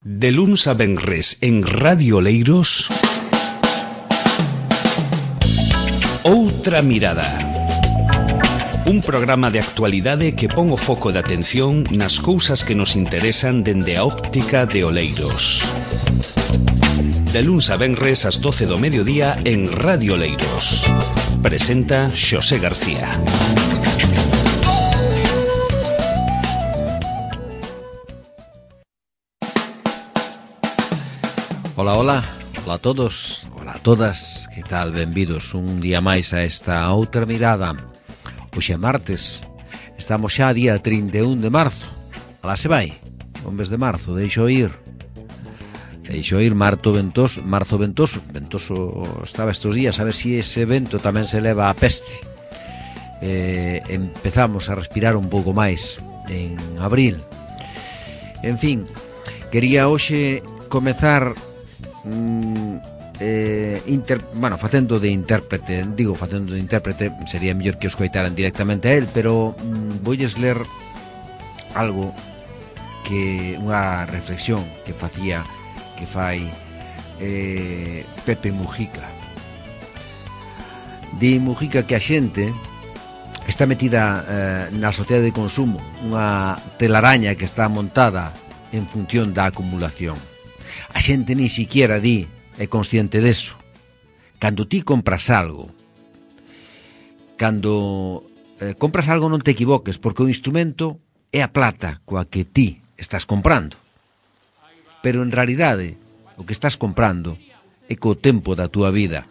De luns a venres en Radio Oleiros, Outra Mirada. Un programa de actualidade que pon o foco de atención nas cousas que nos interesan dende a óptica de Oleiros. De luns a venres ás 12 do mediodía en Radio Oleiros. Presenta Xosé García. Ola, ola, ola a todos, ola a todas, que tal? Benvidos un día máis a esta Outra Mirada. Hoxe é martes, estamos xa a día 31 de marzo. Alá se vai, o mes de marzo, deixo ir marzo ventoso estaba estes días, a ver se ese vento tamén se leva a peste. Empezamos a respirar un pouco máis en abril. En fin, quería hoxe comezar facendo de intérprete. Digo facendo de intérprete, sería mellor que os coitaran directamente a él, pero voulles ler algo que unha reflexión que fai Pepe Mujica. Di Mujica que a xente está metida na sociedade de consumo, unha telaraña que está montada en función da acumulación. A xente ni siquiera é consciente deso. Cando ti compras algo, non te equivoques, porque o instrumento é a plata coa que ti estás comprando. Pero en realidade, o que estás comprando é co tempo da túa vida.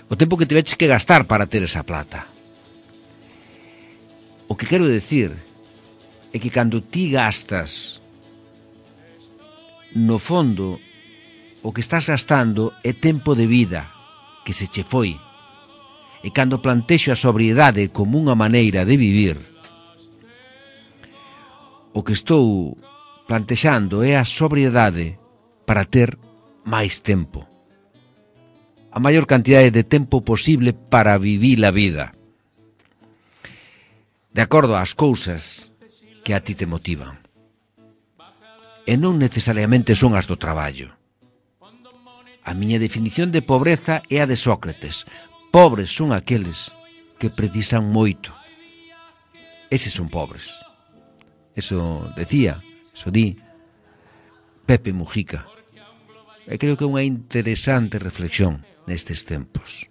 O tempo que tiveches que gastar para ter esa plata. O que quero decir é que cando ti gastas, no fondo, o que estás gastando é tempo de vida que se che foi. E cando plantexo a sobriedade como unha maneira de vivir, o que estou plantexando é a sobriedade para ter máis tempo. A maior cantidade de tempo posible para vivir a vida. De acordo ás cousas que a ti te motivan. E non necesariamente son as do traballo. A miña definición de pobreza é a de Sócrates. Pobres son aqueles que precisan moito. Eses son pobres. Eso di Pepe Mujica. E creo que é unha interesante reflexión nestes tempos.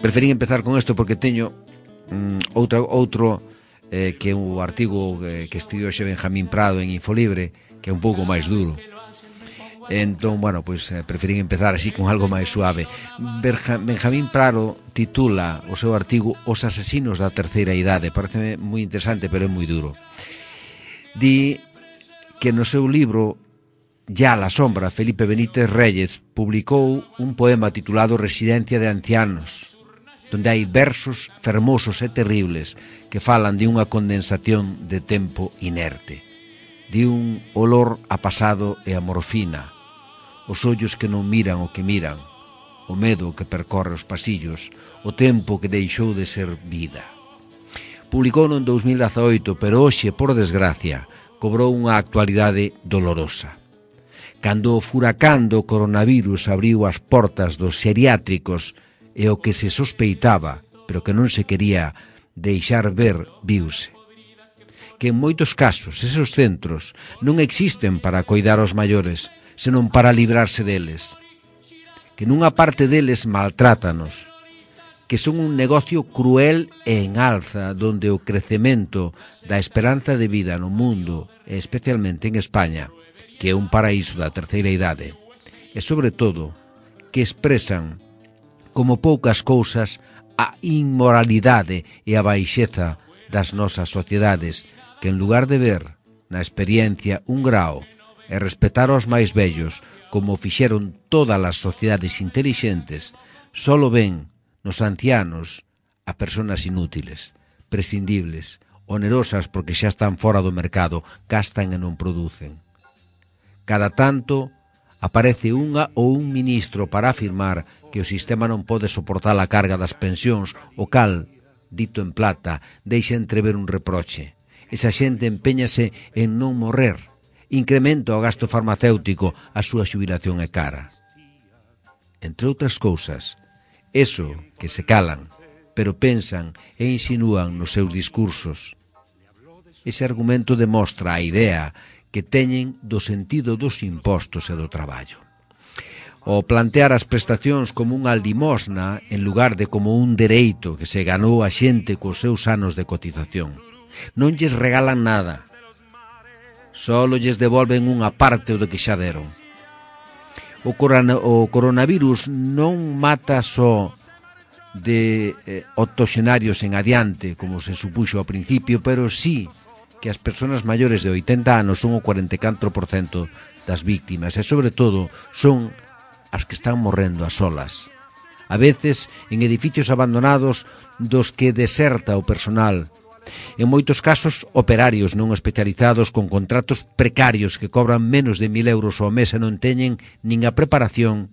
Preferí empezar con isto porque teño outro que é o artigo que escribiu hoxe Benjamín Prado en Infolibre, que é un pouco máis duro. Entón, preferí empezar así con algo máis suave. Benjamín Prado titula o seu artigo Os asesinos da terceira idade. Parece moi interesante, pero é moi duro. Di que no seu libro Ya la sombra, Felipe Benítez Reyes publicou un poema titulado Residencia de ancianos, donde hai versos fermosos e terribles que falan de unha condensación de tempo inerte, de un olor a pasado e a morfina, os ollos que non miran o que miran, o medo que percorre os pasillos, o tempo que deixou de ser vida. Publicou en 2018, pero hoxe, por desgracia, cobrou unha actualidade dolorosa. Cando o furacán do coronavirus abriu as portas dos xeriátricos e o que se sospeitaba, pero que non se quería deixar ver, viuse. Que en moitos casos esos centros non existen para coidar aos maiores, senón para librarse deles. Que nunha parte deles maltrátanos, que son un negocio cruel e en alza, donde o crecemento da esperanza de vida no mundo, e especialmente en España, que é un paraíso da terceira idade, e sobre todo, que expresan como poucas cousas a inmoralidade e a baixeza das nosas sociedades, que en lugar de ver na experiencia un grao e respetar aos máis vellos como fixeron todas as sociedades intelixentes, solo ven nos ancianos a persoas inútiles, prescindibles, onerosas porque xa están fora do mercado, gastan e non producen. Cada tanto aparece unha ou un ministro para afirmar que o sistema non pode soportar a carga das pensións, o cal dito en plata, deixa entrever un reproche. Esa xente empeñase en non morrer. Incrementa o gasto farmacéutico, a súa xubilación é cara. Entre outras cousas, eso que se calan, pero pensan e insinúan nos seus discursos. Ese argumento demostra a idea que teñen do sentido dos impostos e do traballo. O plantear as prestacións como unha limosna en lugar de como un dereito que se ganou a xente cos seus anos de cotización. Non lles regalan nada, só lles devolven unha parte do que xa deron. O coronavirus non mata só de octoxenarios en adiante, como se supuxo ao principio, pero sí que as persoas maiores de 80 anos son o 44% das víctimas e, sobre todo, son as que están morrendo a solas. A veces en edificios abandonados dos que deserta o personal. En moitos casos, operarios non especializados con contratos precarios que cobran menos de 1.000 euros ao mes e non teñen nin a preparación,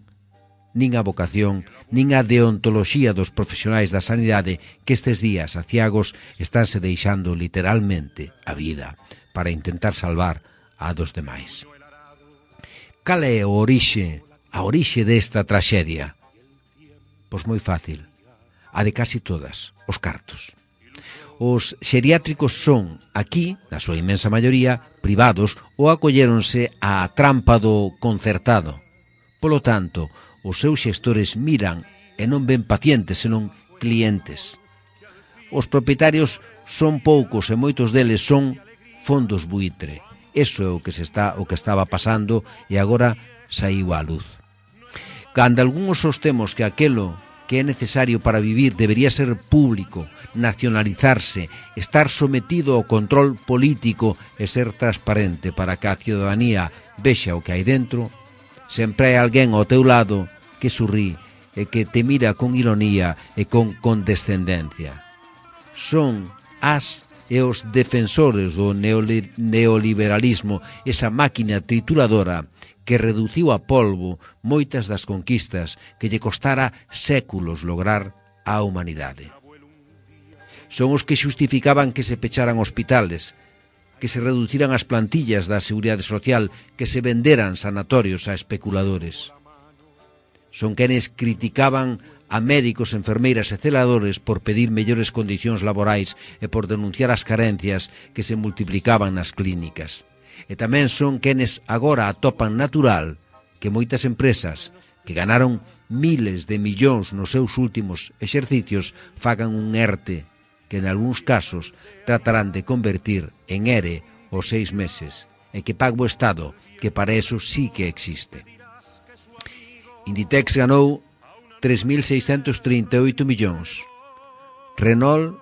nin a vocación, nin a deontoloxía dos profesionais da sanidade que estes días aciagos estánse deixando literalmente a vida para intentar salvar a dos demais. Cal é a orixe desta traxedia? Pois moi fácil, a de casi todas, os cartos. Os xeriátricos son, aquí, na súa inmensa maioría, privados ou acolléronse á trampa do concertado. Polo tanto, os seus xestores miran e non ven pacientes, senón clientes. Os propietarios son poucos e moitos deles son fondos buitre. Eso é o que estaba pasando e agora saíu á luz. Cando algúns sostemos que aquelo que é necesario para vivir debería ser público, nacionalizarse, estar sometido ao control político e ser transparente para que a ciudadanía vexa o que hai dentro, sempre hai alguén ao teu lado que sorrí e que te mira con ironía e con condescendencia. Son as e os defensores do neoliberalismo, esa máquina trituradora que reduciu a polvo moitas das conquistas que lle costara séculos lograr á humanidade. Son os que xustificaban que se pecharan hospitales, que se reduciran as plantillas da Seguridade Social, que se venderan sanatorios a especuladores. Son quenes criticaban a médicos, enfermeiras e celadores por pedir mellores condicións laborais e por denunciar as carencias que se multiplicaban nas clínicas. E tamén son quenes agora atopan natural que moitas empresas que ganaron miles de millóns nos seus últimos exercicios fagan un ERTE que en algúns casos tratarán de convertir en ERE os 6 meses e que pague o Estado, que para eso sí que existe. Inditex ganou 3.638 millóns, Renault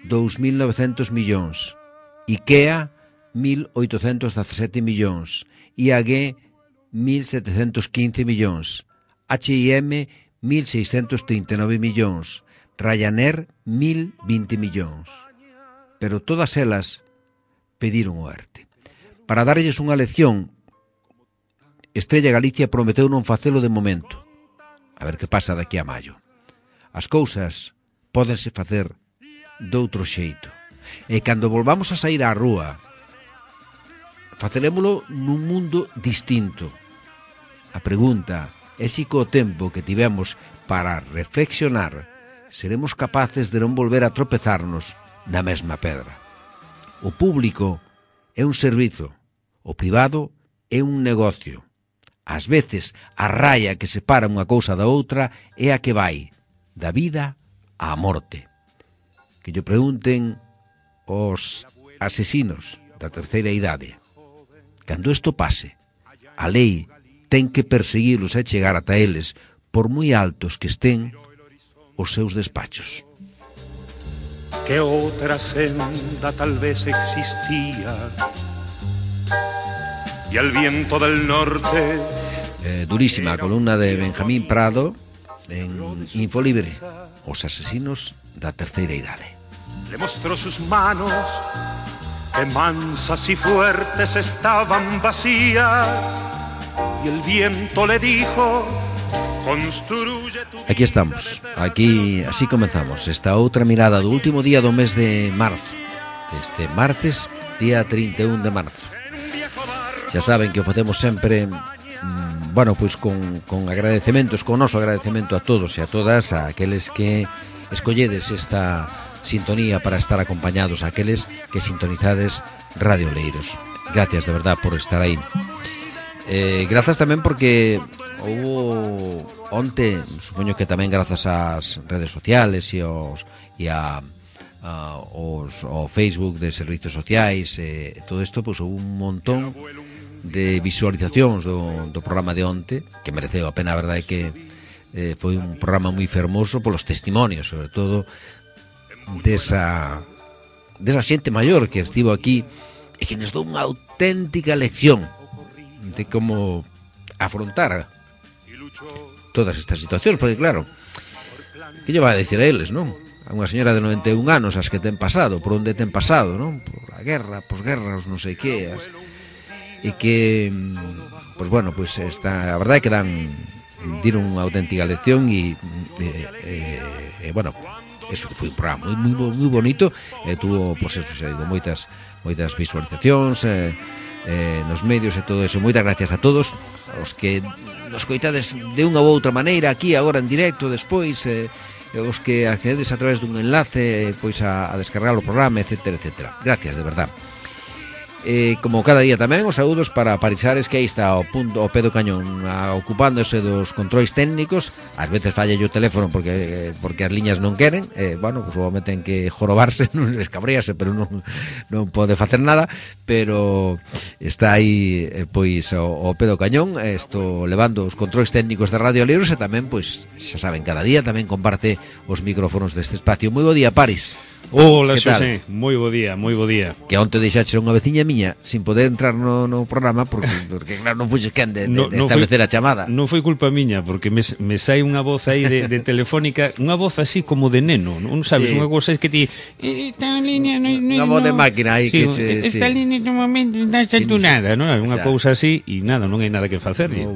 2.900 millóns, IKEA 1.817 millóns, IAG 1.715 millóns, H&M 1.639 millóns, Ryanair 1.020 millóns. Pero todas elas pediron o ERTE. Para darlles unha lección, Estrella Galicia prometeu non facelo de momento. A ver que pasa daqui a maio. As cousas pódense facer doutro xeito. E cando volvamos a sair á rúa, facelémolo nun mundo distinto. A pregunta é se co tempo que tivemos para reflexionar seremos capaces de non volver a tropezarnos na mesma pedra. O público é un servizo, o privado é un negocio. Ás veces a raya que separa unha cousa da outra é a que vai da vida á morte. Que lle pregunten os asesinos da terceira idade. Cando isto pase, a lei ten que perseguilos e chegar ata eles, por moi altos que estén os seus despachos. Que outra senda tal vez existía y al viento del norte. Durísima a columna de Benjamín Prado en Infolibre, os asesinos da terceira idade. Le mostró sus manos, que mansas y fuertes estaban vacías, y el viento le dijo Aquí estamos, así comenzamos esta outra mirada do último día do mes de marzo, este martes, día 31 de marzo. Xa saben que o facemos sempre, bueno, pois con agradecementos, con o noso agradecemento a todos e a todas, a aqueles que escolledes esta sintonía para estar acompañados, a aqueles que sintonizades Radio Oleiros. Gracias de verdad por estar aí. Grazas tamén porque houve onte, supoño que tamén grazas ás redes sociales e ao Facebook de servicios sociais, todo isto, pois houve un montón de visualizacións do programa de onte, que mereceu a pena. A verdade é que foi un programa moi fermoso polos testimonios, sobre todo desa xente maior que estivo aquí e que nos dou unha auténtica lección de como afrontar todas estas situacións, porque claro, que lle vai a decir a eles, non? A unha señora de 91 anos as que ten pasado, por onde ten pasado, non? Por a guerra, posguerra, os non sei que, e que, pois bueno, pois a verdade é que diron unha auténtica lección e bueno, eso que foi un programa moi bonito, tuvo, pois eso, xa digo, moitas visualizacións nos medios e todo eso. Moitas gracias a todos os que nos coitades de unha ou outra maneira aquí agora en directo, despois os que accedes a través dun enlace pois a descargar o programa, etcétera, etcétera. Gracias, de verdad. Como cada día tamén, os saúdos para Parisares, que aí está ao pé do cañón, ocupándose dos controis técnicos. Ás veces falla o teléfono porque as liñas non queren, bueno, pues obviamente ten que jorobarse, non escabrearse, pero non pode facer nada, pero está aí pois ao pé do cañón, levando os controis técnicos de Radio Oleiros, e tamén, pois, xa saben, cada día tamén comparte os micrófonos deste espacio. Moi bo día, Paris. Hola, Xosé, moi bo día, moi bo día. Que onte deixaxe unha veciña miña sin poder entrar no programa porque claro, non fuxes quen de establecer a chamada. Non foi culpa miña, porque me sai unha voz aí de telefónica, unha voz así como de neno, non sabes, sí. Unha cousa é que ti esta línea unha voz de máquina aí, sí, que esta línea no momento está saturada, non? Unha cousa así e nada, non hai nada que facerlle.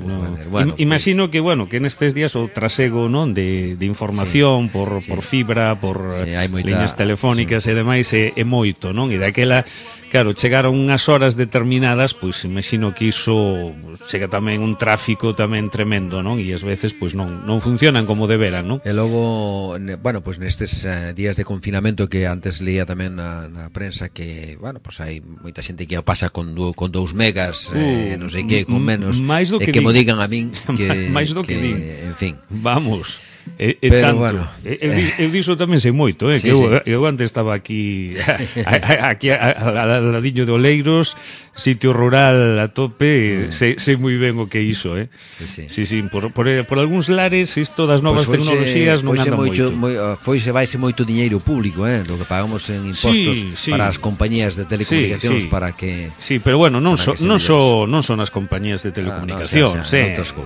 Bueno, imagino que, bueno, que nestes días o trasego, non, de información por fibra, por líneas telefónicas e demais é moito, non? E daquela, claro, chegaron unhas horas determinadas, pois imagino que iso chega tamén un tráfico tamén tremendo, non? E ás veces pois non funcionan como deberan, non? E logo, bueno, pois nestes días de confinamento que antes leía tamén na prensa que, bueno, pois hai moita xente que pasa con 2 megas, non sei que, con menos, e que mo digan a min que máis do que din. En fin. Vamos. Pero tanto, bueno, eu diso tamén sei moito, sí, que eu antes estaba aquí al ladiño de Oleiros, sitio rural a tope, sei moi ben o que iso, Sí, por algúns lares isto das novas tecnologías non anda moito. Vaise moito diñeiro público, do que pagamos en impostos para as compañías de telecomunicacións, para que... Sí, pero bueno, non son as compañías de telecomunicacións,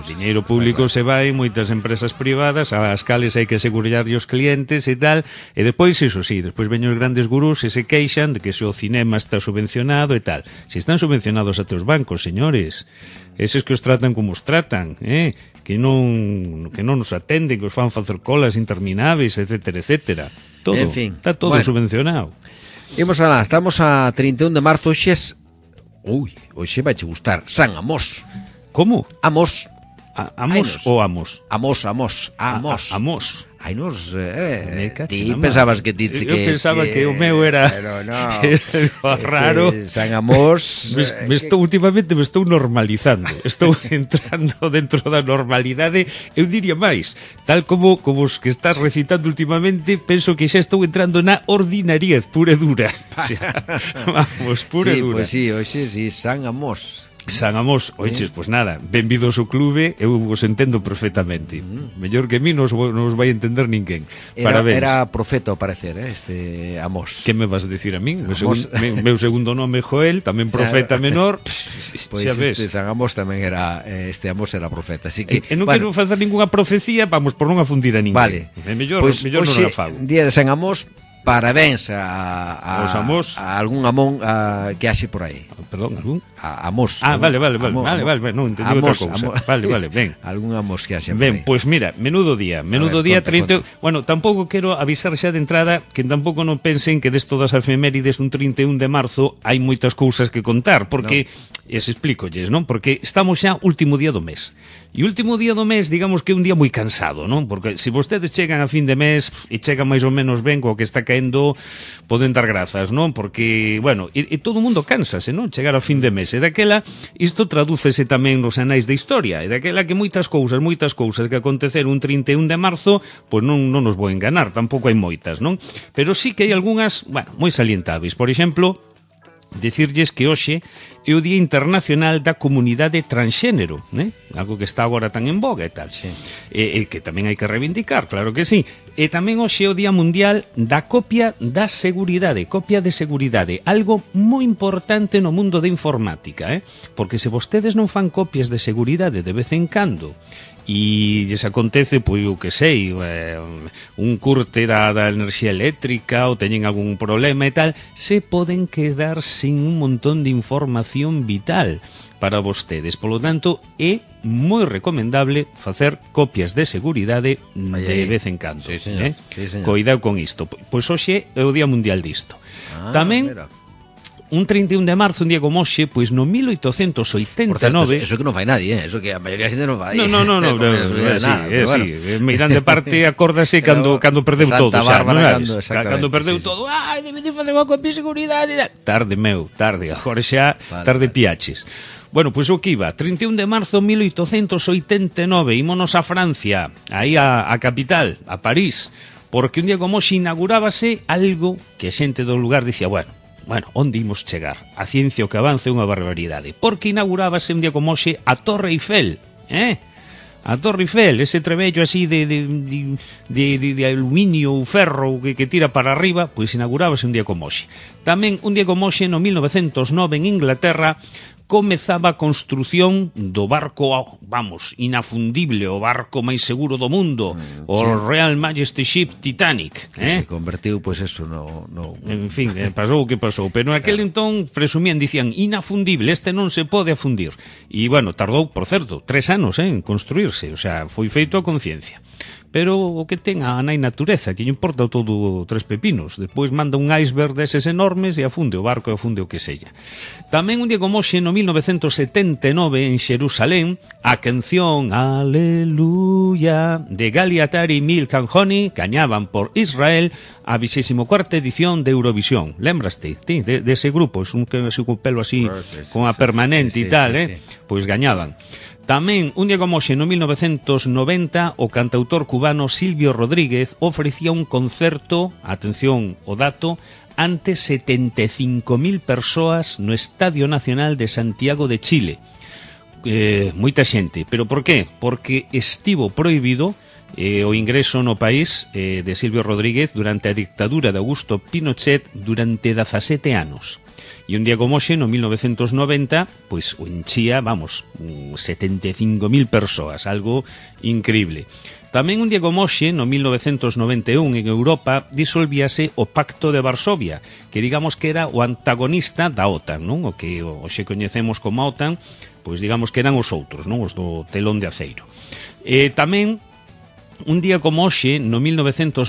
diñeiro público se vai en moitas empresas privadas ás cales hai que asegurarlle os clientes e tal, e depois, iso sí, despois veñen os grandes gurús e se queixan de que se o cinema está subvencionado e tal. Se están subvencionados a teus bancos, señores, eses que os tratan como os tratan, que non nos atenden, que os fan facer colas intermináveis, etcétera, etcétera. Todo, en fin, está todo subvencionado. Imos alá, estamos a 31 de marzo, hoxe vai che gustar, San Amós. Como? Amós. Amos ou Amos? Amos. Amos. Ai, nos, ti pensabas que ti... Eu pensaba que o meu era... Pero no, raro. San Amós... Últimamente me estou normalizando. Estou entrando dentro da normalidade. Eu diría máis, tal como os que estás recitando últimamente, penso que xa estou entrando na ordinariez pura e dura. Vamos, pura e dura. Pois sí, hoxe sí, San Amós. San Amós, oiches, pois nada, benvidos ao clube, eu vos entendo perfectamente. Mellor que a mí non os vai entender ninguén. Parabéns. Era profeta ao parecer, este Amós. Que me vas a decir a min? Meu segundo nome é Joel, tamén profeta menor. Pois este San Amós tamén era, este Amós era profeta, así que... E non quero facer ninguna profecía, vamos, por non afundir a ninguén. Vale. Mellor non a fago. Día de San Amós, parabéns a algún amón que haxe por aí. Perdón, algún? A Amos. Vale, non entendí outra cousa. Vale, ben. Algún Amos que haxe por Ben, aí. pois mira, menudo día 30. Bueno, tampouco quero avisar xa de entrada que tampouco non pensen que des todas as efemérides un 31 de marzo hai moitas cousas que contar, porque explícolles, non? Porque estamos xa último día do mes. E último día do mes, digamos que é un día moi cansado, non? Porque se vostedes chegan a fin de mes e chegan máis ou menos ben co que está caendo, poden dar grazas, non? Porque, bueno, e todo o mundo cánsase, non? Chegar a fin de mes. E daquela, isto tradúcese tamén nos anais de historia. E daquela que moitas cousas que aconteceron un 31 de marzo, pois non nos vou enganar, tampouco hai moitas, non? Pero sí que hai algunhas, bueno, moi salientáveis. Por exemplo, decirlles que hoxe é o Día Internacional da Comunidade Transxénero, né? Algo que está agora tan en boga e tal. Sí. E que tamén hai que reivindicar, claro que sí. E tamén hoxe é o Día Mundial da Copia da Seguridade, copia de seguridade, algo moi importante no mundo da informática, porque se vostedes non fan copias de seguridade de vez en cando, e lles acontece, pois, o que sei, un curte da enerxía eléctrica ou teñen algún problema e tal, se poden quedar sin un montón de información vital para vostedes. Polo tanto, é moi recomendable facer copias de seguridade de vez en cando. Sí, señor. Sí, señor. Coidado con isto. Pois hoxe é o Día Mundial disto. Tamén, mira, un 31 de marzo, un día como hoxe, pois no 1889... Por certo, eso que non fai nadie, eso que a maioría da xente non fai. No, mirando de parte, acórdase cando perdeu todo, xa, non sabes? Cando perdeu todo, debe de facer unha copia de seguridade. Tarde, agora xa tarde piaches. Bueno, pois o que iba, 31 de marzo 1889, ímonos a Francia, aí a capital, a París, porque un día como hoxe inaugurábase algo que a xente do lugar dicía, bueno, onde imos chegar? A ciencia o que avance é unha barbaridade. Porque inaugurábase un día como hoxe a Torre Eiffel, A Torre Eiffel, ese trebello así de aluminio ou ferro que tira para arriba, pois inaugurábase un día como hoxe. Tamén un día como hoxe, no 1909, en Inglaterra, comezaba a construción do barco, inafundible, o barco máis seguro do mundo, o Royal Majesty Ship Titanic. Se convertiu, pois eso, no... En fin, pasou o que pasou. Pero naquele entón presumían, dicían, inafundible, este non se pode afundir. E, bueno, tardou, por certo, 3 anos en construirse, o sea, foi feito a conciencia. Pero o que ten a nai natureza, que lle importa todo 3 pepinos. Despois manda un iceberg deses enormes e afunde o barco e afunde o que sella. Tamén un día como hoxe, no 1979, en Xerusalén, a canción Aleluya de Galiatari e Milk and Honey gañaban por Israel a 24ª edición de Eurovisión. Lembraste, ti, de ese grupo, es un que se con pelo así, con a permanente e tal, pois gañaban. Tamén, un día como hoxe, no 1990, o cantautor cubano Silvio Rodríguez ofrecía un concerto, atención o dato, ante 75.000 persoas no Estadio Nacional de Santiago de Chile. Moita xente. Pero por qué? Porque estivo prohibido o ingreso no país de Silvio Rodríguez durante a dictadura de Augusto Pinochet durante 17 anos. E un día como hoxe, no 1990, pois o enchía, 75.000 persoas, algo increíble. Tamén un día como hoxe, no 1991, en Europa, disolvíase o Pacto de Varsovia, que digamos que era o antagonista da OTAN, non? O que hoxe coñecemos como a OTAN, pois digamos que eran os outros, non? Os do telón de aceiro. Tamén, un día como hoxe, no 1998,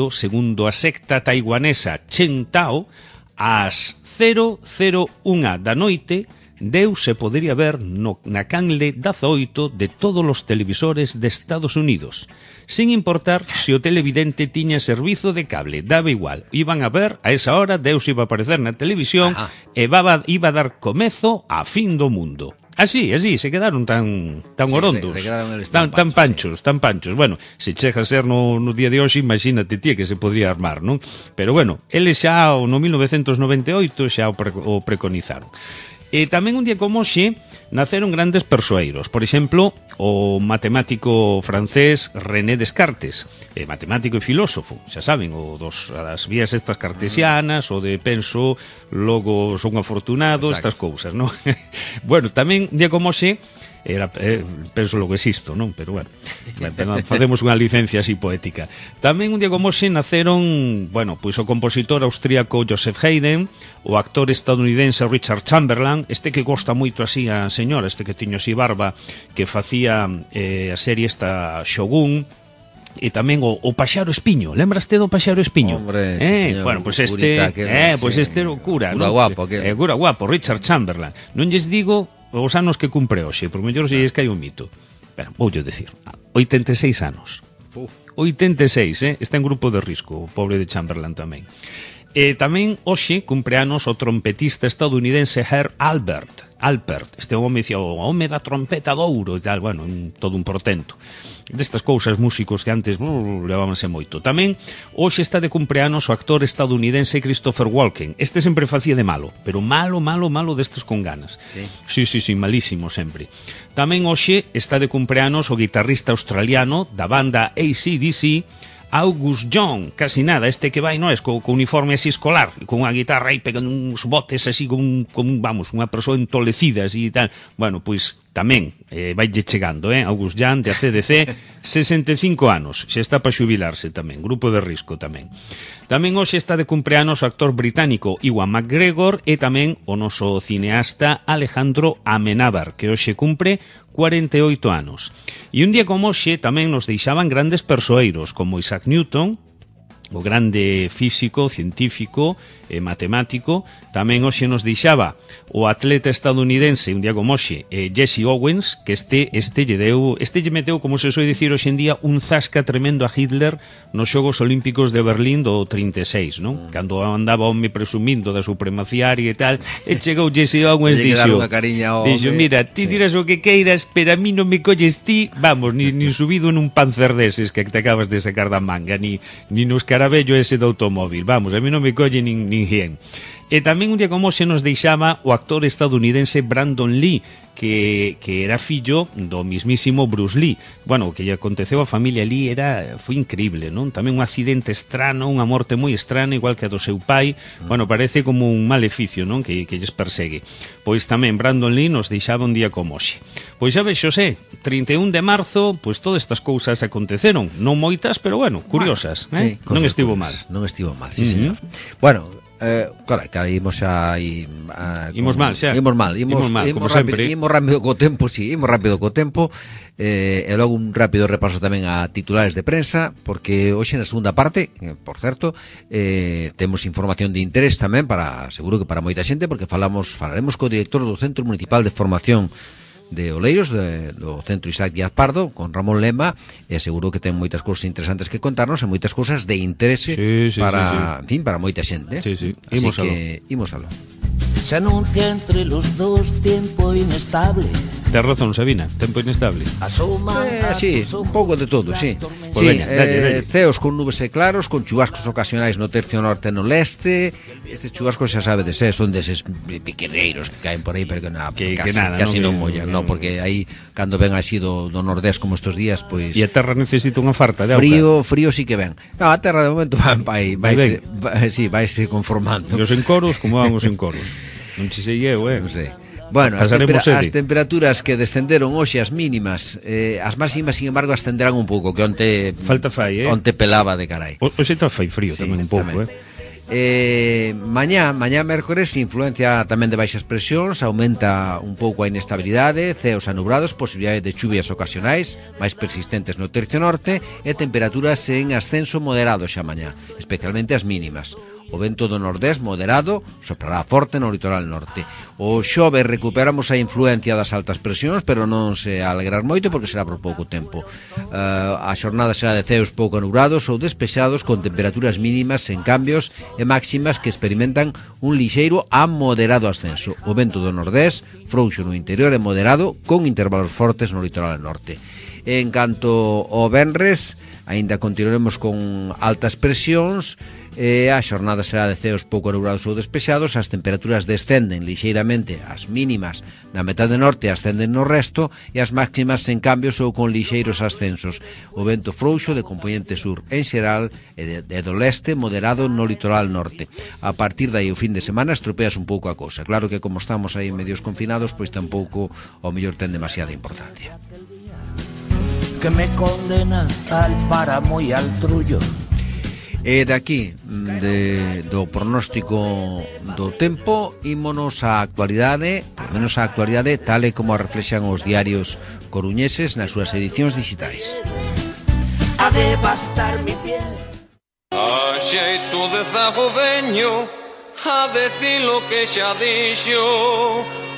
segundo a secta taiwanesa Chen Tao, ás 001 da noite, Deus se podería ver na canle 18 de todos os televisores de Estados Unidos, sin importar se o televidente tiña servizo de cable, daba igual. Iban a ver, a esa hora, Deus iba a aparecer na televisión e iba a dar comezo a fin do mundo. Así, se quedaron tan orondos, tan panchos. Bueno, se chega a ser no día de hoxe, imagínate ti que se podría armar, non? Pero bueno, eles xa no 1998 xa o preconizaron. E tamén un día como hoxe naceron grandes persoeiros. Por exemplo, o matemático francés René Descartes, matemático e filósofo, xa saben, das vías estas cartesianas, o de penso, logo son afortunado, estas cousas, non? Bueno, tamén un día como hoxe penso lo que existo, non? Pero bueno, facemos unha licencia así poética. Tamén un día como hoxe naceron, bueno, pois o compositor austríaco Joseph Haydn, o actor estadounidense Richard Chamberlain, este que gosta moito así a señora, este que tiño así barba, que facía a serie esta Shogun, e tamén o Paxaro Espiño. Lembraste do Paxaro Espiño? Hombre, sí, señor. Bueno, pues este era o cura, ¿no? Guapo, cura guapo, Richard Chamberlain. Non lles digo os anos que cumpre hoxe, por mellor se lles cae un mito. Pero voulle decir, 86 anos. 86, está en grupo de risco, o pobre de Chamberlain tamén. Tamén hoxe cumpre anos o trompetista estadounidense Herb Alpert. Este home dicía, o home da trompeta de ouro e tal, bueno, todo un portento. Destas cousas músicos que antes levábanse moito. Tamén hoxe está de cumpleanos o actor estadounidense Christopher Walken. Este sempre facía de malo, pero malo destes con ganas. Sí, malísimo sempre. Tamén hoxe está de cumpleanos o guitarrista australiano da banda AC/DC, Angus Young, casi nada, este que vai, non é, co uniforme así escolar, con unha guitarra aí pegando uns botes así vamos, unha persoa entolecida así e tal. Bueno, pois tamén vaille chegando, Angus Young de AC/DC, 65 anos, xa está para xubilarse tamén, grupo de risco tamén. Tamén hoxe está de cumpleanos o actor británico Ewan McGregor e tamén o noso cineasta Alejandro Amenábar, que hoxe cumpre 48 anos. E un día como hoxe tamén nos deixaban grandes persoeiros como Isaac Newton, o grande físico, científico e matemático. Tamén hoxe nos deixaba o atleta estadounidense, un día como hoxe, Jesse Owens, que este lle meteu, como se soe dicir hoxe en día, un zasca tremendo a Hitler nos Xogos Olímpicos de Berlín do 36, non? Cando andaba home presumindo da supremacía aria e tal, e chegou Jesse Owens e dixo, mira, ti dirás o que queiras, pero a mí non me colles ti, vamos, ni subido en un Panzer deses que te acabas de sacar da manga, ni nos carabello ese do automóvil, vamos, a mí non me colle nin hien. E tamén un día como se nos deixaba o actor estadounidense Brandon Lee, que era fillo do mismísimo Bruce Lee. Bueno, o que lle aconteceu á familia Lee foi increíble, non? Tamén un accidente estrano, unha morte moi estrana, igual que a do seu pai. Bueno, parece como un maleficio, non? Que lles persegue. Pois tamén Brandon Lee nos deixaba un día como hoxe. Pois xa ves, Xosé, 31 de marzo, pois todas estas cousas aconteceron. Non moitas, pero bueno, curiosas. Sí, non estivo mal. Non estivo mal, sí, señor. Bueno, claro, que imos xa imos mal, como sempre. Imos rápido co tempo, e logo un rápido repaso tamén a titulares de prensa, porque hoxe na segunda parte, por certo, temos información de interés tamén seguro que para moita xente, porque falaremos co director do Centro Municipal de Formación de Oleiros, do Centro Isaac Díaz Pardo, con Ramón Lema, e seguro que ten moitas cousas interesantes que contarnos e moitas cousas de interese para moita xente. Sí. Imos aló. Se anuncia entre los dos tiempo inestable. Tens razón, Sabina, tempo inestable. Sí, un pouco de todo, sí. Pues veña, dalle. Ceos con nubes e claros, con chubascos ocasionais no tercio norte e no leste. Estes chubascos xa sabedes, son deses piquereiros que caen por aí, pero que casi non mollan, no, porque aí cando ven así do nordés como estes días, pois e a terra necesita unha farta de auga. Frío sí que ven. No, a terra de momento vaise conformando. E os encoros, como van os encoros? Non che sei eu, Non sei. Bueno, as temperaturas que descenderon hoxe, as mínimas, as máximas, sin embargo, ascenderán un pouco, que onte falta fai, onte pelaba de carai. Hoxe está fai frío tamén un pouco, Mañá mércores, influencia tamén de baixas presións, aumenta un pouco a inestabilidade, ceos anubrados, posibilidade de chuvias ocasionais máis persistentes no tercio norte e temperaturas en ascenso moderado xa mañá, especialmente as mínimas. O vento do nordés moderado soprará forte no litoral norte. O xoves recuperamos a influencia das altas presións, pero non se alegrar moito porque será por pouco tempo. A xornada será de ceos pouco nubrados ou despexados, con temperaturas mínimas en cambios e máximas que experimentan un lixeiro a moderado ascenso. O vento do nordés frouxo no interior e moderado, con intervalos fortes no litoral norte. En canto ao venres, aínda continuaremos con altas presións, A xornada será de ceos pouco nubrados ou despexados, as temperaturas descenden lixeiramente, as mínimas na metade norte ascenden no resto e as máximas en cambios ou con lixeiros ascensos. O vento frouxo de componente sur en xeral e do leste moderado no litoral norte. A partir dai o fin de semana estropeas un pouco a cousa. Claro que como estamos aí medios confinados, pois tampouco ao mellor ten demasiada importancia. Que me condena al páramo y al trullo. E daqui do pronóstico do tempo ímonos á actualidade, menos á actualidade tal e como a reflexan os diarios coruñeses nas súas edicións digitais. A devastar mi piel. A xeito de zagodeño, a decir lo que xa dixo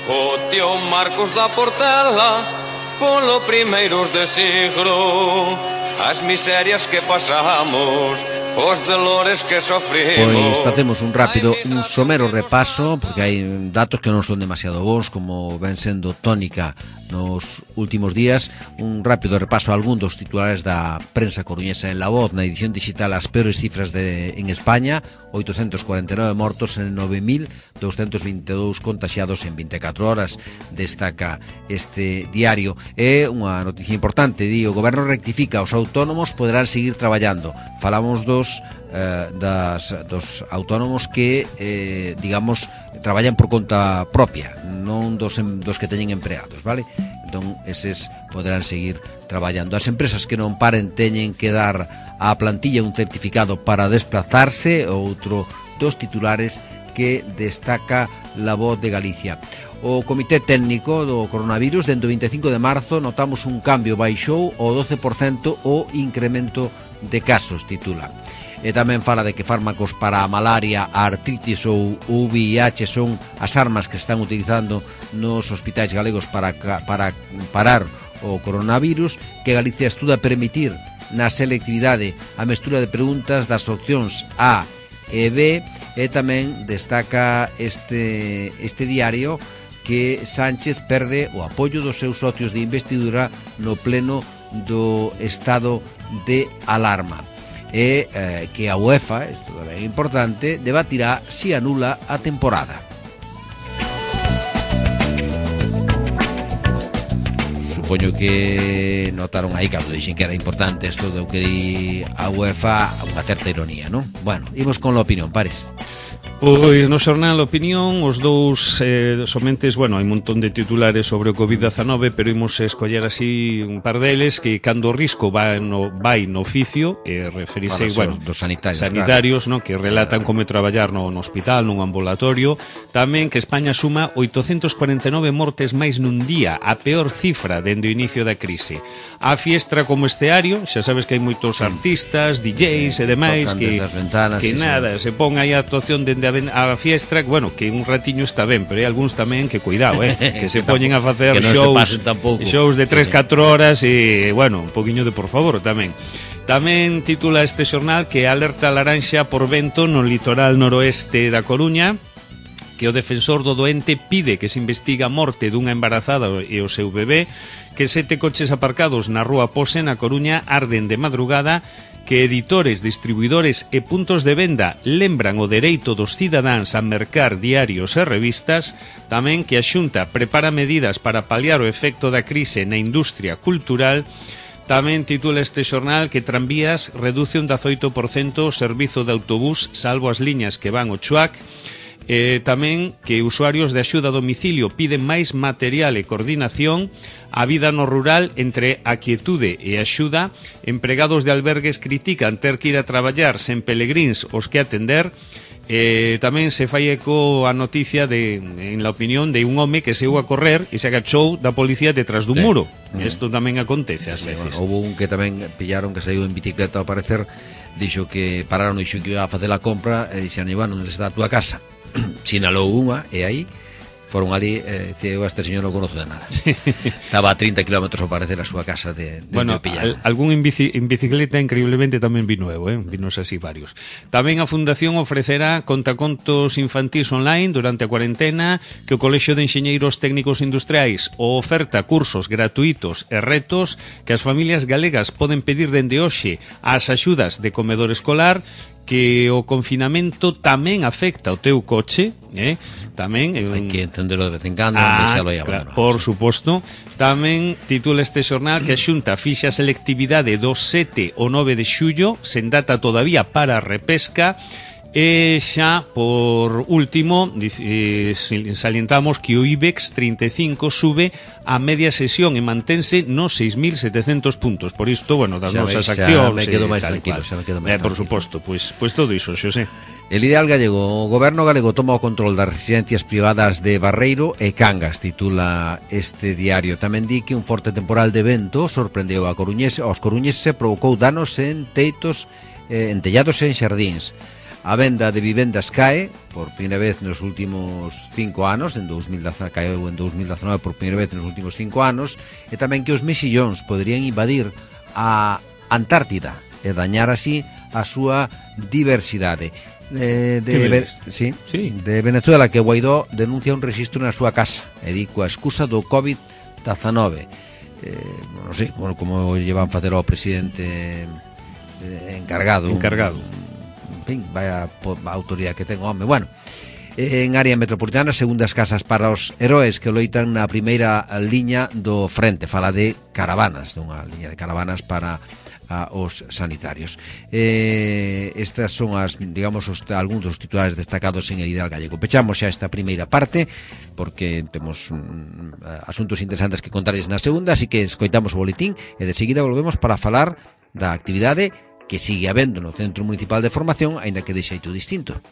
o tío Marcos da Portela polo primeiros de siglo. As miserias que pasamos, os dolores que sofrimos. Pois facemos un rápido, un somero repaso, porque hai datos que non son demasiado bons, como ven sendo tónica nos últimos días. Un rápido repaso a algún dos titulares da prensa coruñesa en La Voz, na edición digital as peores cifras en España, 849 mortos en 9.222 contaxiados en 24 horas, destaca este diario. É unha noticia importante, di, o goberno rectifica, os autónomos poderán seguir traballando. Falamos dos autónomos que, digamos, traballan por conta propia, non dos que teñen empleados, vale? Entón, eses poderán seguir traballando. As empresas que non paren teñen que dar á plantilla un certificado para desplazarse, outro dos titulares que destaca La Voz de Galicia. O Comité Técnico do Coronavirus, dentro do 25 de marzo, notamos un cambio, baixou o 12% o incremento de casos, titula. E tamén fala de que fármacos para a malaria, a artritis ou o VIH son as armas que están utilizando nos hospitais galegos para parar o coronavirus, que Galicia estuda permitir na selectividade a mestura de preguntas das opcións A e B, e tamén destaca este diario que Sánchez perde o apoio dos seus socios de investidura no pleno do estado de alarma. E que a UEFA, isto é importante, debatirá si anula a temporada. Supoño que notaron aí cando dixen que era importante isto do que di a UEFA, unha certa ironía, non? Bueno, imos con a opinión, Pares. Pois no xornal Opinión os dous somentes, bueno, hai un montón de titulares sobre o COVID-19, pero imos escoller así un par deles que cando o risco vai no oficio, referise, bueno, dos sanitarios, claro, no, que relatan como traballar no hospital, nun ambulatorio. Tamén que España suma 849 mortes máis nun día, a peor cifra dende o inicio da crise. A fiestra como esteario, xa sabes que hai moitos artistas, DJs e demais que nada, se pon aí a actuación dende a fiestra, bueno, que un ratiño está ben, pero hai algúns tamén que cuidado, que se poñen a facer shows de 3-4 horas e, bueno, un poquinho de por favor tamén. Tamén titula este xornal que alerta laranxa por vento no litoral noroeste da Coruña, que o defensor do doente pide que se investiga a morte dunha embarazada e o seu bebé, que 7 coches aparcados na rúa Pose na Coruña arden de madrugada, que editores, distribuidores e puntos de venda lembran o dereito dos cidadáns a mercar diarios e revistas, tamén que a Xunta prepara medidas para paliar o efecto da crise na industria cultural. Tamén titula este xornal que Tranvías reduce un 18% o servizo de autobús salvo as liñas que van ao Chuac. Tamén que usuarios de axuda a domicilio piden máis material e coordinación. A vida no rural entre a quietude e a axuda. Empregados de albergues critican ter que ir a traballar sen pelegríns os que atender. Tamén se fai eco a noticia en la opinión de un home que saiu a correr e se agachou da policía detrás dun muro. Isto tamén acontece ás veces. Houve un que tamén pillaron que saiu en bicicleta ao parecer, dixo que pararon e dixo que iba a facer a compra e dixeron, bueno, onde está a túa casa? Sinalou unha e aí foron ali, eu a este señor non conozo de nada. Estaba a 30 km ao parecer a súa casa de bueno, algún en bicicleta increíblemente tamén vino eu, vinos así varios. Tamén a Fundación ofrecerá contacontos infantís online durante a cuarentena, que o Colexio de Enxeñeiros Técnicos Industriais o oferta cursos gratuitos e retos que as familias galegas poden pedir dende hoxe ás axudas de comedor escolar. que o confinamento tamén afecta o teu coche, tamén hai que entenderlo de vez en cando, deixalo aí abandonado. Por suposto. Tamén titula este xornal que a Xunta fixa a selectividade do 7 ao 9 de xullo, sen data todavía para a repesca. E xa, por último, salientamos que o IBEX 35 sube a media sesión e mantense nos 6.700 puntos. Por isto, bueno, das nosas accións... Xa me quedo máis tranquilo, Por suposto, pois todo iso, Xosé. El ideal gallego, o goberno galego toma o control das residencias privadas de Barreiro e Cangas, titula este diario. Tamén di que un forte temporal de vento sorprendeu aos coruñeses e provocou danos en teitos, en tellados e en xardíns. A venda de vivendas cae por primeira vez nos últimos 5 anos, caeu en 2019 por primeira vez nos últimos 5 anos, e tamén que os mexillóns poderían invadir a Antártida e dañar así a súa diversidade. De Venezuela, que Guaidó denuncia un rexistro na súa casa, e di coa excusa do COVID-19. Non sei como llevan facer ao presidente encargado. En fin, vaya autoridade que ten o home. Bueno, en área metropolitana, segundas casas para os heróis que loitan na primeira liña do frente. Fala de caravanas, dunha liña de caravanas para os sanitarios. Estas son algúns dos titulares destacados en el Ideal Gallego. Pechamos xa esta primeira parte porque temos asuntos interesantes que contarles na segunda, así que escoitamos o boletín e de seguida volvemos para falar da actividade que sigue habendo no Centro Municipal de Formación, aínda que de xeito distinto.